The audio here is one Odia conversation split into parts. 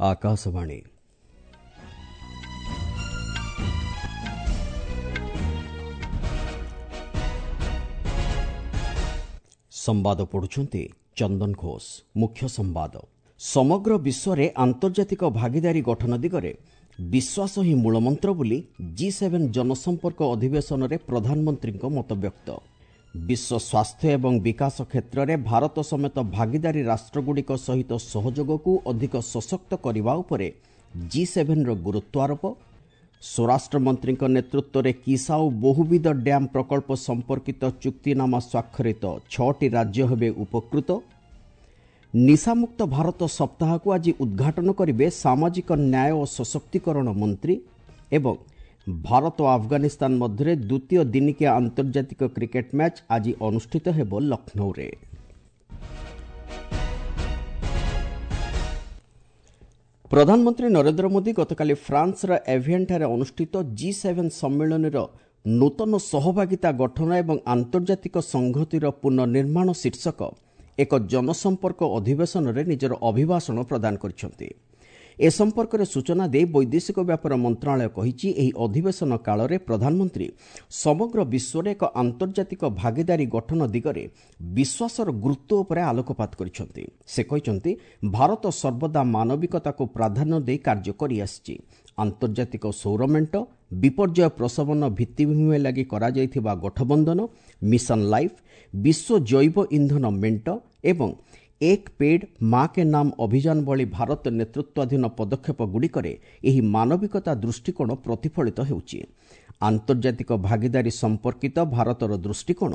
ଆକାଶବାଣୀ। ସମ୍ବାଦ ପଢୁଛନ୍ତି ଚନ୍ଦନ ଘୋଷ। ମୁଖ୍ୟ ସମ୍ବାଦ। ସମଗ୍ର ବିଶ୍ୱରେ ଆନ୍ତର୍ଜାତିକ ଭାଗିଦାରୀ ଗଠନ ଦିଗରେ ବିଶ୍ୱାସ ହିଁ ମୂଳମନ୍ତ୍ର ବୋଲି ଜି ସେଭେନ୍ ଜନସମ୍ପର୍କ ଅଧିବେଶନରେ ପ୍ରଧାନମନ୍ତ୍ରୀଙ୍କ ମତବ୍ୟକ୍ତ। ବିଶ୍ୱ ସ୍ୱାସ୍ଥ୍ୟ ଏବଂ ବିକାଶ କ୍ଷେତ୍ରରେ ଭାରତ ସମେତ ଭାଗିଦାରୀ ରାଷ୍ଟ୍ରଗୁଡ଼ିକ ସହିତ ସହଯୋଗକୁ ଅଧିକ ସଶକ୍ତ କରିବା ଉପରେ ଜି ସେଭେନ୍ର ଗୁରୁତ୍ୱାରୋପ। ସ୍ୱରାଷ୍ଟ୍ରମନ୍ତ୍ରୀଙ୍କ ନେତୃତ୍ୱରେ କିସାଉ ବହୁବିଧ ଡ୍ୟାମ୍ ପ୍ରକଳ୍ପ ସମ୍ପର୍କିତ ଚୁକ୍ତିନାମା ସ୍ୱାକ୍ଷରିତ, 6ଟି ରାଜ୍ୟ ହେବେ ଉପକୃତ। ନିଶାମୁକ୍ତ ଭାରତ ସପ୍ତାହକୁ ଆଜି ଉଦ୍ଘାଟନ କରିବେ ସାମାଜିକ ନ୍ୟାୟ ଓ ସଶକ୍ତିକରଣ ମନ୍ତ୍ରୀ। ଏବଂ ଭାରତ ଓ ଆଫଗାନିସ୍ତାନ ମଧ୍ୟରେ ଦ୍ୱିତୀୟ ଦିନିକିଆ ଆନ୍ତର୍ଜାତିକ କ୍ରିକେଟ୍ ମ୍ୟାଚ୍ ଆଜି ଅନୁଷ୍ଠିତ ହେବ ଲକ୍ଷ୍ନୌରେ। ପ୍ରଧାନମନ୍ତ୍ରୀ ନରେନ୍ଦ୍ର ମୋଦି ଗତକାଲି ଫ୍ରାନ୍ସର ଏଭିଏନ୍ଠାରେ ଅନୁଷ୍ଠିତ ଜି ସେଭେନ୍ ସମ୍ମିଳନୀର ନୂତନ ସହଭାଗିତା ଗଠନ ଏବଂ ଆନ୍ତର୍ଜାତିକ ସଂହତିର ପୁନଃନିର୍ମାଣ ଶୀର୍ଷକ ଏକ ଜନସମ୍ପର୍କ ଅଧିବେଶନରେ ନିଜର ଅଭିଭାଷଣ ପ୍ରଦାନ କରିଛନ୍ତି। ଏ ସମ୍ପର୍କରେ ସୂଚନା ଦେଇ ବୈଦେଶିକ ବ୍ୟାପାର ମନ୍ତ୍ରଣାଳୟ କହିଛି, ଏହି ଅଧିବେଶନ କାଳରେ ପ୍ରଧାନମନ୍ତ୍ରୀ ସମଗ୍ର ବିଶ୍ୱରେ ଏକ ଆନ୍ତର୍ଜାତିକ ଭାଗିଦାରୀ ଗଠନ ଦିଗରେ ବିଶ୍ୱାସର ଗୁରୁତ୍ୱ ଉପରେ ଆଲୋକପାତ କରିଛନ୍ତି। ସେ କହିଛନ୍ତି, ଭାରତ ସର୍ବଦା ମାନବିକତାକୁ ପ୍ରାଧାନ୍ୟ ଦେଇ କାର୍ଯ୍ୟ କରିଆସିଛି। ଆନ୍ତର୍ଜାତିକ ସୌର ମେଣ୍ଟ, ବିପର୍ଯ୍ୟୟ ପ୍ରଶମନ ଭିତ୍ତିଭୂମି ଲାଗି କରାଯାଇଥିବା ଗଠବନ୍ଧନ, ମିଶନ ଲାଇଫ୍, ବିଶ୍ୱ ଜୈବ ଇନ୍ଧନ ମେଣ୍ଟ ଏବଂ ଏକ ପେଡ୍ ମା କେ ନାମ ଅଭିଯାନ ଭଳି ଭାରତ ନେତୃତ୍ୱାଧୀନ ପଦକ୍ଷେପଗୁଡ଼ିକରେ ଏହି ମାନବିକତା ଦୃଷ୍ଟିକୋଣ ପ୍ରତିଫଳିତ ହେଉଛି। ଆନ୍ତର୍ଜାତିକ ଭାଗିଦାରୀ ସମ୍ପର୍କିତ ଭାରତର ଦୃଷ୍ଟିକୋଣ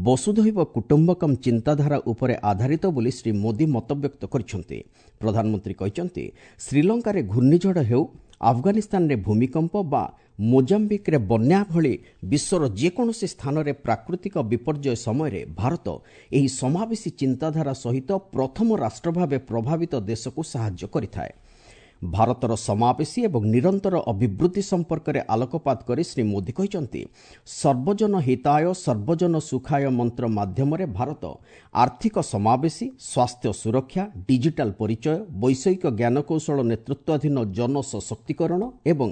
ବସୁଧୈବ କୁଟୁମ୍ବକମ୍ ଚିନ୍ତାଧାରା ଉପରେ ଆଧାରିତ ବୋଲି ଶ୍ରୀ ମୋଦି ମତବ୍ୟକ୍ତ କରିଛନ୍ତି। ପ୍ରଧାନମନ୍ତ୍ରୀ କହିଛନ୍ତି, ଶ୍ରୀଲଙ୍କାରେ ଘୂର୍ଣ୍ଣିଝଡ଼ ହେଉ, ଆଫଗାନିସ୍ତାନରେ ଭୂମିକମ୍ପ ବା ମୋଜାମ୍ବିକ୍ରେ ବନ୍ୟା ଭଳି ବିଶ୍ୱର ଯେକୌଣସି ସ୍ଥାନରେ ପ୍ରାକୃତିକ ବିପର୍ଯ୍ୟୟ ସମୟରେ ଭାରତ ଏହି ସମାବେଶୀ ଚିନ୍ତାଧାରା ସହିତ ପ୍ରଥମ ରାଷ୍ଟ୍ର ଭାବେ ପ୍ରଭାବିତ ଦେଶକୁ ସାହାଯ୍ୟ କରିଥାଏ। ଭାରତର ସମାବେଶୀ ଏବଂ ନିରନ୍ତର ଅଭିବୃଦ୍ଧି ସମ୍ପର୍କରେ ଆଲୋକପାତ କରି ଶ୍ରୀ ମୋଦି କହିଛନ୍ତି, ସର୍ବଜନ ହିତାୟ ସର୍ବଜନ ସୁଖାୟ ମନ୍ତ୍ର ମାଧ୍ୟମରେ ଭାରତ ଆର୍ଥିକ ସମାବେଶୀ, ସ୍ୱାସ୍ଥ୍ୟ ସୁରକ୍ଷା, ଡିଜିଟାଲ ପରିଚୟ, ବୈଷୟିକ ଜ୍ଞାନକୌଶଳ ନେତୃତ୍ୱାଧୀନ ଜନସଶକ୍ତିକରଣ ଏବଂ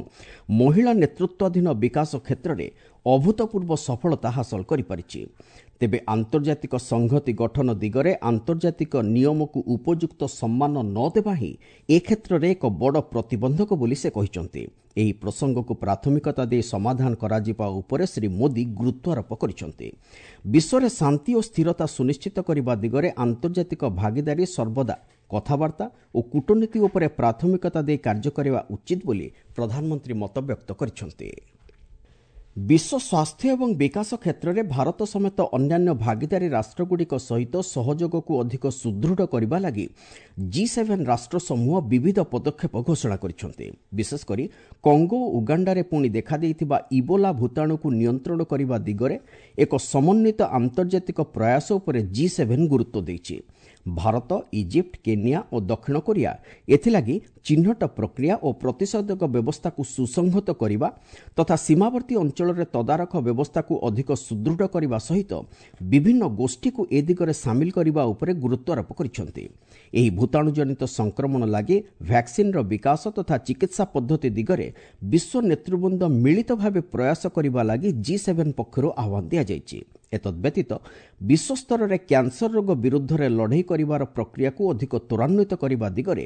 ମହିଳା ନେତୃତ୍ୱାଧୀନ ବିକାଶ କ୍ଷେତ୍ରରେ ଅଭୂତପୂର୍ବ ସଫଳତା ହାସଲ କରିପାରିଛି। ତେବେ ଆନ୍ତର୍ଜାତିକ ସଂହତି ଗଠନ ଦିଗରେ ଆନ୍ତର୍ଜାତିକ ନିୟମକୁ ଉପଯୁକ୍ତ ସମ୍ମାନ ନ ଦେବା ହିଁ ଏ କ୍ଷେତ୍ରରେ ଏକ ବଡ଼ ପ୍ରତିବନ୍ଧକ ବୋଲି ସେ କହିଛନ୍ତି। ଏହି ପ୍ରସଙ୍ଗକୁ ପ୍ରାଥମିକତା ଦେଇ ସମାଧାନ କରାଯିବା ଉପରେ ଶ୍ରୀ ମୋଦି ଗୁରୁତ୍ୱାରୋପ କରିଛନ୍ତି। ବିଶ୍ୱରେ ଶାନ୍ତି ଓ ସ୍ଥିରତା ସୁନିଶ୍ଚିତ କରିବା ଦିଗରେ ଆନ୍ତର୍ଜାତିକ ଭାଗିଦାରୀ ସର୍ବଦା କଥାବାର୍ତ୍ତା ଓ କୂଟନୀତି ଉପରେ ପ୍ରାଥମିକତା ଦେଇ କାର୍ଯ୍ୟ କରିବା ଉଚିତ ବୋଲି ପ୍ରଧାନମନ୍ତ୍ରୀ ମତବ୍ୟକ୍ତ କରିଛନ୍ତି। ବିଶ୍ୱ ସ୍ୱାସ୍ଥ୍ୟ ଏବଂ ବିକାଶ କ୍ଷେତ୍ରରେ ଭାରତ ସମେତ ଅନ୍ୟାନ୍ୟ ଭାଗିଦାରୀ ରାଷ୍ଟ୍ରଗୁଡ଼ିକ ସହିତ ସହଯୋଗକୁ ଅଧିକ ସୁଦୃଢ଼ କରିବା ଲାଗି ଜି ସେଭେନ୍ ରାଷ୍ଟ୍ରସମୂହ ବିବିଧ ପଦକ୍ଷେପ ଘୋଷଣା କରିଛନ୍ତି। ବିଶେଷକରି କଙ୍ଗୋ ଓ ଉଗାଣ୍ଡାରେ ପୁଣି ଦେଖାଦେଇଥିବା ଇବୋଲା ଭୂତାଣୁକୁ ନିୟନ୍ତ୍ରଣ କରିବା ଦିଗରେ ଏକ ସମନ୍ୱିତ ଆନ୍ତର୍ଜାତିକ ପ୍ରୟାସ ଉପରେ ଜି ସେଭେନ୍ ଗୁରୁତ୍ୱ ଦେଇଛି। ଭାରତ, ଇଜିପ୍ଟ, କେନିଆ ଓ ଦକ୍ଷିଣ କୋରିଆ ଏଥିଲାଗି ଚିହ୍ନଟ ପ୍ରକ୍ରିୟା ଓ ପ୍ରତିଷେଧକ ବ୍ୟବସ୍ଥାକୁ ସୁସଂହତ କରିବା ତଥା ସୀମାବର୍ତ୍ତୀ ଅଞ୍ଚଳରେ ତଦାରଖ ବ୍ୟବସ୍ଥାକୁ ଅଧିକ ସୁଦୃଢ଼ କରିବା ସହିତ ବିଭିନ୍ନ ଗୋଷ୍ଠୀକୁ ଏ ଦିଗରେ ସାମିଲ କରିବା ଉପରେ ଗୁରୁତ୍ୱାରୋପ କରିଛନ୍ତି। ଏହି ଭୂତାଣୁଜନିତ ସଂକ୍ରମଣ ଲାଗି ଭ୍ୟାକ୍ସିନ୍ର ବିକାଶ ତଥା ଚିକିତ୍ସା ପଦ୍ଧତି ଦିଗରେ ବିଶ୍ୱ ନେତୃବୃନ୍ଦ ମିଳିତ ଭାବେ ପ୍ରୟାସ କରିବା ଲାଗି ଜି ସେଭେନ୍ ପକ୍ଷରୁ ଆହ୍ୱାନ ଦିଆଯାଇଛି। ଏତଦ୍ବ୍ୟତୀତ ବିଶ୍ୱସ୍ତରରେ କ୍ୟାନ୍ସର ରୋଗ ବିରୁଦ୍ଧରେ ଲଢ଼େଇ କରିବାର ପ୍ରକ୍ରିୟାକୁ ଅଧିକ ତ୍ୱରାନ୍ୱିତ କରିବା ଦିଗରେ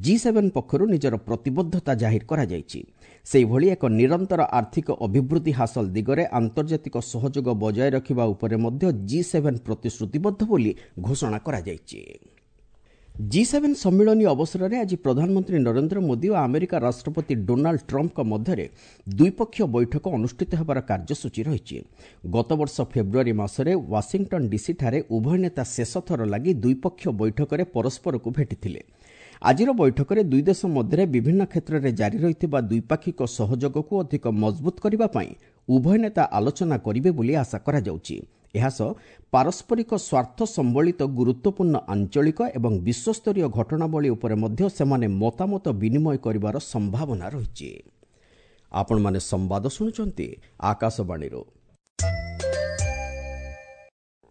ଜି ସେଭେନ୍ ପକ୍ଷରୁ ନିଜର ପ୍ରତିବଦ୍ଧତା ଜାହିର କରାଯାଇଛି। ସେହିଭଳି ଏକ ନିରନ୍ତର ଆର୍ଥିକ ଅଭିବୃଦ୍ଧି ହାସଲ ଦିଗରେ ଆନ୍ତର୍ଜାତିକ ସହଯୋଗ ବଜାୟ ରଖିବା ଉପରେ ମଧ୍ୟ ଜି ସେଭେନ୍ ପ୍ରତିଶ୍ରୁତିବଦ୍ଧ ବୋଲି ଘୋଷଣା କରାଯାଇଛି। ଜି ସେଭେନ୍ ସମ୍ମିଳନୀ ଅବସରରେ ଆଜି ପ୍ରଧାନମନ୍ତ୍ରୀ ନରେନ୍ଦ୍ର ମୋଦି ଓ ଆମେରିକା ରାଷ୍ଟ୍ରପତି ଡୋନାଲ୍ଡ ଟ୍ରମ୍ପଙ୍କ ମଧ୍ୟରେ ଦ୍ୱିପକ୍ଷୀୟ ବୈଠକ ଅନୁଷ୍ଠିତ ହେବାର କାର୍ଯ୍ୟସୂଚୀ ରହିଛି। ଗତବର୍ଷ ଫେବୃଆରୀ ମାସରେ ୱାଶିଂଟନ୍ ଡିସିଠାରେ ଉଭୟ ନେତା ଶେଷଥର ଲାଗି ଦ୍ୱିପକ୍ଷୀୟ ବୈଠକରେ ପରସ୍ପରକୁ ଭେଟିଥିଲେ। ଆଜିର ବୈଠକରେ ଦୁଇ ଦେଶ ମଧ୍ୟରେ ବିଭିନ୍ନ କ୍ଷେତ୍ରରେ ଜାରି ରହିଥିବା ଦ୍ୱିପାକ୍ଷିକ ସହଯୋଗକୁ ଅଧିକ ମଜବୁତ କରିବା ପାଇଁ ଉଭୟ ନେତା ଆଲୋଚନା କରିବେ ବୋଲି ଆଶା କରାଯାଉଛି। ଏହାସହ ପାରସ୍ପରିକ ସ୍ୱାର୍ଥ ସମ୍ବଳିତ ଗୁରୁତ୍ୱପୂର୍ଣ୍ଣ ଆଞ୍ଚଳିକ ଏବଂ ବିଶ୍ୱସ୍ତରୀୟ ଘଟଣାବଳୀ ଉପରେ ମଧ୍ୟ ସେମାନେ ମତାମତ ବିନିମୟ କରିବାର ସମ୍ଭାବନା ରହିଛି। ଆପଣମାନେ ସମ୍ବାଦ ଶୁଣୁଛନ୍ତି ଆକାଶବାଣୀରୁ।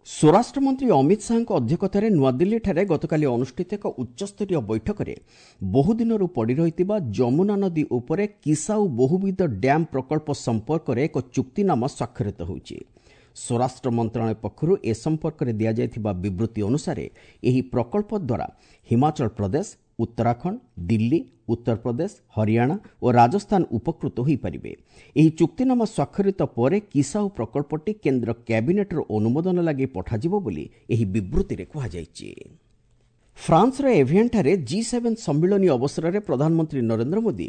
ସ୍ୱରାଷ୍ଟ୍ରମନ୍ତ୍ରୀ ଅମିତ ଶାହାଙ୍କ ଅଧ୍ୟକ୍ଷତାରେ ନୂଆଦିଲ୍ଲୀଠାରେ ଗତକାଲି ଅନୁଷ୍ଠିତ ଏକ ଉଚ୍ଚସ୍ତରୀୟ ବୈଠକରେ ବହୁଦିନରୁ ପଡ଼ି ରହିଥିବା ଯମୁନା ନଦୀ ଉପରେ କିସାଉ ବହୁବିଧ ଡ୍ୟାମ୍ ପ୍ରକଳ୍ପ ସମ୍ପର୍କରେ ଏକ ଚୁକ୍ତିନାମା ସ୍ୱାକ୍ଷରିତ ହୋଇଛି। ସ୍ୱରାଷ୍ଟ୍ର ମନ୍ତ୍ରଣାଳୟ ପକ୍ଷରୁ ଏ ସମ୍ପର୍କରେ ଦିଆଯାଇଥିବା ବିବୃତ୍ତି ଅନୁସାରେ ଏହି ପ୍ରକଳ୍ପ ଦ୍ୱାରା ହିମାଚଳ ପ୍ରଦେଶ, ଉତ୍ତରାଖଣ୍ଡ, ଦିଲ୍ଲୀ, ଉତ୍ତରପ୍ରଦେଶ, ହରିୟାଣା ଓ ରାଜସ୍ଥାନ ଉପକୃତ ହୋଇପାରିବେ। ଏହି ଚୁକ୍ତିନାମା ସ୍ୱାକ୍ଷରିତ ପରେ କିସାଉ ପ୍ରକଳ୍ପଟି କେନ୍ଦ୍ର କ୍ୟାବିନେଟ୍ର ଅନୁମୋଦନ ଲାଗି ପଠାଯିବ ବୋଲି ଏହି ବିବୃତ୍ତିରେ କୁହାଯାଇଛି। ଫ୍ରାନ୍ସର ଏଭିଆନ୍ଠାରେ ଜି7 ସମ୍ମିଳନୀ ଅବସରରେ ପ୍ରଧାନମନ୍ତ୍ରୀ ନରେନ୍ଦ୍ର ମୋଦି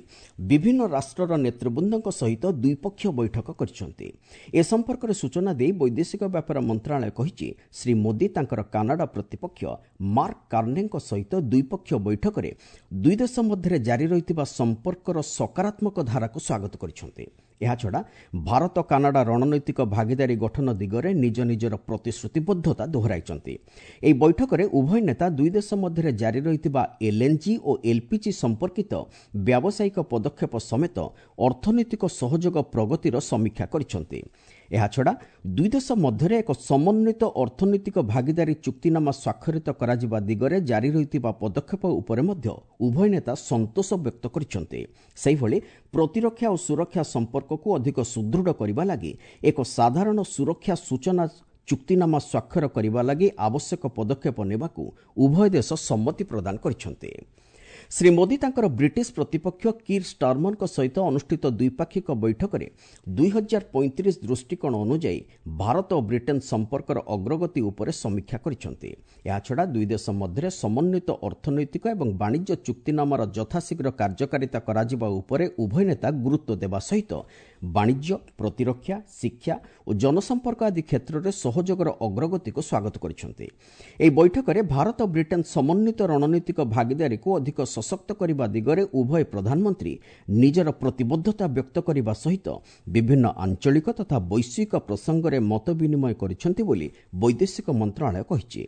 ବିଭିନ୍ନ ରାଷ୍ଟ୍ରର ନେତୃବୃନ୍ଦଙ୍କ ସହିତ ଦ୍ୱିପକ୍ଷୀୟ ବୈଠକ କରିଛନ୍ତି। ଏ ସମ୍ପର୍କରେ ସୂଚନା ଦେଇ ବୈଦେଶିକ ବ୍ୟାପାର ମନ୍ତ୍ରଣାଳୟ କହିଛି, ଶ୍ରୀ ମୋଦି ତାଙ୍କର କାନାଡା ପ୍ରତିପକ୍ଷ ମାର୍କ କାର୍ନେଙ୍କ ସହିତ ଦ୍ୱିପକ୍ଷୀୟ ବୈଠକରେ ଦୁଇ ଦେଶ ମଧ୍ୟରେ ଜାରି ରହିଥିବା ସମ୍ପର୍କର ସକାରାତ୍ମକ ଧାରାକୁ ସ୍ୱାଗତ କରିଛନ୍ତି। ଏହାଛଡ଼ା ଭାରତ କାନାଡା ରଣନୈତିକ ଭାଗିଦାରୀ ଗଠନ ଦିଗରେ ନିଜ ନିଜର ପ୍ରତିଶ୍ରୁତିବଦ୍ଧତା ଦୋହରାଇଛନ୍ତି। ଏହି ବୈଠକରେ ଉଭୟ ନେତା ଦୁଇ ଦେଶ ମଧ୍ୟରେ ଜାରି ରହିଥିବା ଏଲ୍ଏନ୍ଜି ଓ ଏଲ୍ପିଜି ସମ୍ପର୍କିତ ବ୍ୟାବସାୟିକ ପଦକ୍ଷେପ ସମେତ ଅର୍ଥନୈତିକ ସହଯୋଗ ପ୍ରଗତିର ସମୀକ୍ଷା କରିଛନ୍ତି। ଏହାଛଡ଼ା ଦୁଇ ଦେଶ ମଧ୍ୟରେ ଏକ ସମନ୍ୱିତ ଅର୍ଥନୈତିକ ଭାଗିଦାରୀ ଚୁକ୍ତିନାମା ସ୍ୱାକ୍ଷରିତ କରାଯିବା ଦିଗରେ ଜାରି ରହିଥିବା ପଦକ୍ଷେପ ଉପରେ ମଧ୍ୟ ଉଭୟ ନେତା ସନ୍ତୋଷ ବ୍ୟକ୍ତ କରିଛନ୍ତି। ସେହିଭଳି ପ୍ରତିରକ୍ଷା ଓ ସୁରକ୍ଷା ସମ୍ପର୍କକୁ ଅଧିକ ସୁଦୃଢ଼ କରିବା ଲାଗି ଏକ ସାଧାରଣ ସୁରକ୍ଷା ସୂଚନା ଚୁକ୍ତିନାମା ସ୍ୱାକ୍ଷର କରିବା ଲାଗି ଆବଶ୍ୟକ ପଦକ୍ଷେପ ନେବାକୁ ଉଭୟ ଦେଶ ସମ୍ମତି ପ୍ରଦାନ କରିଛନ୍ତି। ଶ୍ରୀ ମୋଦି ତାଙ୍କର ବ୍ରିଟିଶ ପ୍ରତିପକ୍ଷ କିର୍ ଷ୍ଟାର୍ମରଙ୍କ ସହିତ ଅନୁଷ୍ଠିତ ଦ୍ୱିପାକ୍ଷିକ ବୈଠକରେ 2035 ଦୃଷ୍ଟିକୋଣ ଅନୁଯାୟୀ ଭାରତ ଓ ବ୍ରିଟେନ୍ ସମ୍ପର୍କର ଅଗ୍ରଗତି ଉପରେ ସମୀକ୍ଷା କରିଛନ୍ତି। ଏହାଛଡ଼ା ଦୁଇ ଦେଶ ମଧ୍ୟରେ ସମନ୍ୱିତ ଅର୍ଥନୈତିକ ଏବଂ ବାଣିଜ୍ୟ ଚୁକ୍ତିନାମାର ଯଥାଶୀଘ୍ର କାର୍ଯ୍ୟକାରିତା କରାଯିବା ଉପରେ ଉଭୟ ନେତା ଗୁରୁତ୍ୱ ଦେବା ସହିତ ବାଣିଜ୍ୟ, ପ୍ରତିରକ୍ଷା, ଶିକ୍ଷା ଓ ଜନସମ୍ପର୍କ ଆଦି କ୍ଷେତ୍ରରେ ସହଯୋଗର ଅଗ୍ରଗତିକୁ ସ୍ୱାଗତ କରିଛନ୍ତି। ଏହି ବୈଠକରେ ଭାରତ ବ୍ରିଟେନ୍ ସମନ୍ୱିତ ରଣନୈତିକ ଭାଗିଦାରୀକୁ ଅଧିକ ସଶକ୍ତ କରିବା ଦିଗରେ ଉଭୟ ପ୍ରଧାନମନ୍ତ୍ରୀ ନିଜର ପ୍ରତିବଦ୍ଧତା ବ୍ୟକ୍ତ କରିବା ସହିତ ବିଭିନ୍ନ ଆଞ୍ଚଳିକ ତଥା ବୈଶ୍ୱିକ ପ୍ରସଙ୍ଗରେ ମତ ବିନିମୟ କରିଛନ୍ତି ବୋଲି ବୈଦେଶିକ ମନ୍ତ୍ରଣାଳୟ କହିଛି।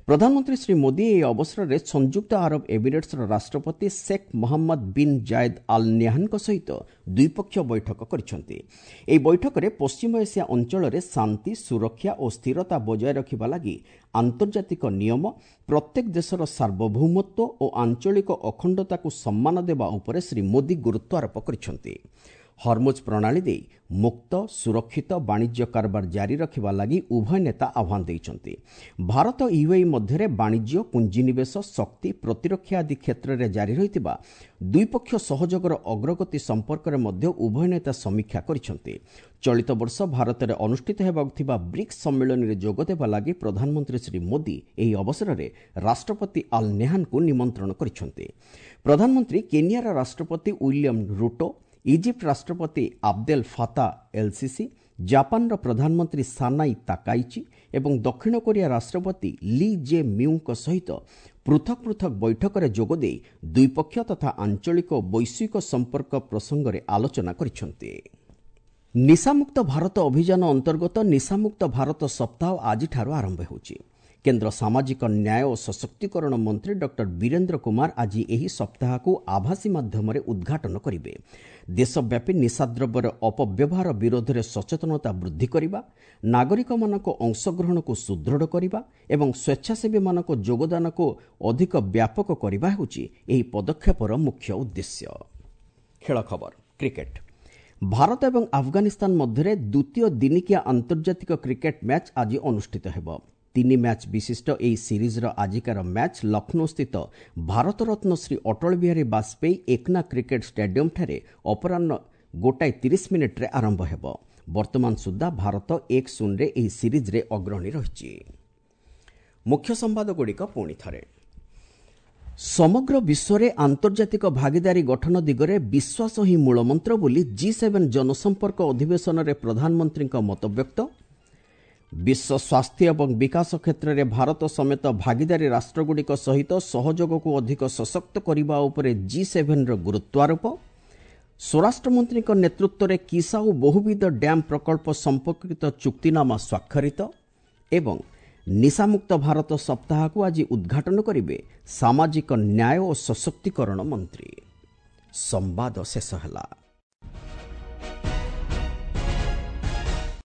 ପ୍ରଧାନମନ୍ତ୍ରୀ ଶ୍ରୀ ମୋଦି ଏହି ଅବସରରେ ସଂଯୁକ୍ତ ଆରବ ଏମିରେଟ୍ସର ରାଷ୍ଟ୍ରପତି Sheikh Mohammed bin Zayed Al ନିହାନଙ୍କ ସହିତ ଦ୍ୱିପକ୍ଷୀୟ ବୈଠକ କରିଛନ୍ତି। ଏହି ବୈଠକରେ ପଶ୍ଚିମ ଏସିଆ ଅଞ୍ଚଳରେ ଶାନ୍ତି, ସୁରକ୍ଷା ଓ ସ୍ଥିରତା ବଜାୟ ରଖିବା ଲାଗି ଆନ୍ତର୍ଜାତିକ ନିୟମ, ପ୍ରତ୍ୟେକ ଦେଶର ସାର୍ବଭୌମତ୍ୱ ଓ ଆଞ୍ଚଳିକ ଅଖଣ୍ଡତାକୁ ସମ୍ମାନ ଦେବା ଉପରେ ଶ୍ରୀ ମୋଦି ଗୁରୁତ୍ୱ ଆରୋପ କରିଛନ୍ତି। ହର୍ମୁଜ ପ୍ରଣାଳୀ ଦେଇ ମୁକ୍ତ, ସୁରକ୍ଷିତ ବାଣିଜ୍ୟ କାରବାର ଜାରି ରଖିବା ଲାଗି ଉଭୟ ନେତା ଆହ୍ୱାନ ଦେଇଛନ୍ତି। ଭାରତ ୟୁଏଇ ମଧ୍ୟରେ ବାଣିଜ୍ୟ, ପୁଞ୍ଜିନିବେଶ, ଶକ୍ତି, ପ୍ରତିରକ୍ଷା ଆଦି କ୍ଷେତ୍ରରେ ଜାରି ରହିଥିବା ଦ୍ୱିପକ୍ଷୀୟ ସହଯୋଗର ଅଗ୍ରଗତି ସମ୍ପର୍କରେ ମଧ୍ୟ ଉଭୟ ନେତା ସମୀକ୍ଷା କରିଛନ୍ତି। ଚଳିତ ବର୍ଷ ଭାରତରେ ଅନୁଷ୍ଠିତ ହେବାକୁ ଥିବା ବ୍ରିକ୍ସ ସମ୍ମିଳନୀରେ ଯୋଗଦେବା ଲାଗି ପ୍ରଧାନମନ୍ତ୍ରୀ ଶ୍ରୀ ମୋଦି ଏହି ଅବସରରେ ରାଷ୍ଟ୍ରପତି ଆଲ୍ ନେହାନଙ୍କୁ ନିମନ୍ତ୍ରଣ କରିଛନ୍ତି। ପ୍ରଧାନମନ୍ତ୍ରୀ କେନିଆର ରାଷ୍ଟ୍ରପତି ୱିଲିୟମ୍ ରୁଟୋ, ଇଜିପ୍ଟ ରାଷ୍ଟ୍ରପତି ଆବଦେଲ ଫାତା ଏଲ୍ସିସି, ଜାପାନର ପ୍ରଧାନମନ୍ତ୍ରୀ ସାନାଇ ତାକାଇଚି ଏବଂ ଦକ୍ଷିଣ କୋରିଆ ରାଷ୍ଟ୍ରପତି ଲି ଜେ ମ୍ୟୁଙ୍କ ସହିତ ପୃଥକ ପୃଥକ ବୈଠକରେ ଯୋଗଦେଇ ଦ୍ୱିପକ୍ଷୀୟ ତଥା ଆଞ୍ଚଳିକ ଓ ବୈଶ୍ୱିକ ସମ୍ପର୍କ ପ୍ରସଙ୍ଗରେ ଆଲୋଚନା କରିଛନ୍ତି। ନିଶାମୁକ୍ତ ଭାରତ ଅଭିଯାନ ଅନ୍ତର୍ଗତ ନିଶାମୁକ୍ତ ଭାରତ ସପ୍ତାହ ଆଜିଠାରୁ ଆରମ୍ଭ ହେଉଛି। କେନ୍ଦ୍ର ସାମାଜିକ ନ୍ୟାୟ ଓ ସଶକ୍ତିକରଣ ମନ୍ତ୍ରୀ ଡକ୍ଟର ବୀରେନ୍ଦ୍ର କୁମାର ଆଜି ଏହି ସପ୍ତାହକୁ ଆଭାସୀ ମାଧ୍ୟମରେ ଉଦ୍ଘାଟନ କରିବେ। ଦେଶବ୍ୟାପୀ ନିଶାଦ୍ରବ୍ୟର ଅପବ୍ୟବହାର ବିରୋଧରେ ସଚେତନତା ବୃଦ୍ଧି କରିବା, ନାଗରିକମାନଙ୍କ ଅଂଶଗ୍ରହଣକୁ ସୁଦୃଢ଼ କରିବା ଏବଂ ସ୍ୱେଚ୍ଛାସେବୀମାନଙ୍କ ଯୋଗଦାନକୁ ଅଧିକ ବ୍ୟାପକ କରିବା ହେଉଛି ଏହି ପଦକ୍ଷେପର ମୁଖ୍ୟ ଉଦ୍ଦେଶ୍ୟ। ଖେଳ ଖବର। କ୍ରିକେଟ। ଭାରତ ଏବଂ ଆଫଗାନିସ୍ତାନ ମଧ୍ୟରେ ଦ୍ୱିତୀୟ ଦିନିକିଆ ଆନ୍ତର୍ଜାତିକ କ୍ରିକେଟ ମ୍ୟାଚ୍ ଆଜି ଅନୁଷ୍ଠିତ ହେବ। 3 ମ୍ୟାଚ୍ ବିଶିଷ୍ଟ ଏହି ସିରିଜ୍ର ଆଜିକାର ମ୍ୟାଚ୍ ଲକ୍ଷ୍ନୌସ୍ଥିତ ଭାରତରତ୍ନ ଶ୍ରୀ ଅଟଳ ବିହାରୀ ବାଜପେୟୀ ଏକନା କ୍ରିକେଟ ଷ୍ଟାଡିୟମ୍ଠାରେ ଅପରାହ୍ନ 1:30 ଆରମ୍ଭ ହେବ। ବର୍ତ୍ତମାନ ସୁଦ୍ଧା ଭାରତ 1-0ରେ ଏହି ସିରିଜ୍ରେ ଅଗ୍ରଣୀ ରହିଛି। ମୁଖ୍ୟ ସମ୍ବାଦଗୁଡ଼ିକ ପୁଣି ଥରେ। ସମଗ୍ର ବିଶ୍ୱରେ ଆନ୍ତର୍ଜାତିକ ଭାଗିଦାରୀ ଗଠନ ଦିଗରେ ବିଶ୍ୱାସ ହିଁ ମୂଳମନ୍ତ୍ର ବୋଲି ଜି7 ଜନସମ୍ପର୍କ ଅଧିବେଶନରେ ପ୍ରଧାନମନ୍ତ୍ରୀଙ୍କ ମତବ୍ୟକ୍ତ। ବିଶ୍ୱ ସ୍ୱାସ୍ଥ୍ୟ ଏବଂ ବିକାଶ କ୍ଷେତ୍ରରେ ଭାରତ ସମେତ ଭାଗିଦାରୀ ରାଷ୍ଟ୍ରଗୁଡ଼ିକ ସହିତ ସହଯୋଗକୁ ଅଧିକ ସଶକ୍ତ କରିବା ଉପରେ ଜି7ର ଗୁରୁତ୍ୱାରୋପ। ସ୍ୱରାଷ୍ଟ୍ରମନ୍ତ୍ରୀଙ୍କ ନେତୃତ୍ୱରେ କିସାଉ ବହୁବିଧ ଡ୍ୟାମ୍ ପ୍ରକଳ୍ପ ସମ୍ପର୍କିତ ଚୁକ୍ତିନାମା ସ୍ୱାକ୍ଷରିତ ଏବଂ ନିଶାମୁକ୍ତ ଭାରତ ସପ୍ତାହକୁ ଆଜି ଉଦ୍ଘାଟନ କରିବେ ସାମାଜିକ ନ୍ୟାୟ ଓ ସଶକ୍ତିକରଣ ମନ୍ତ୍ରୀ। ସମ୍ବାଦ ଶେଷ ହେଲା।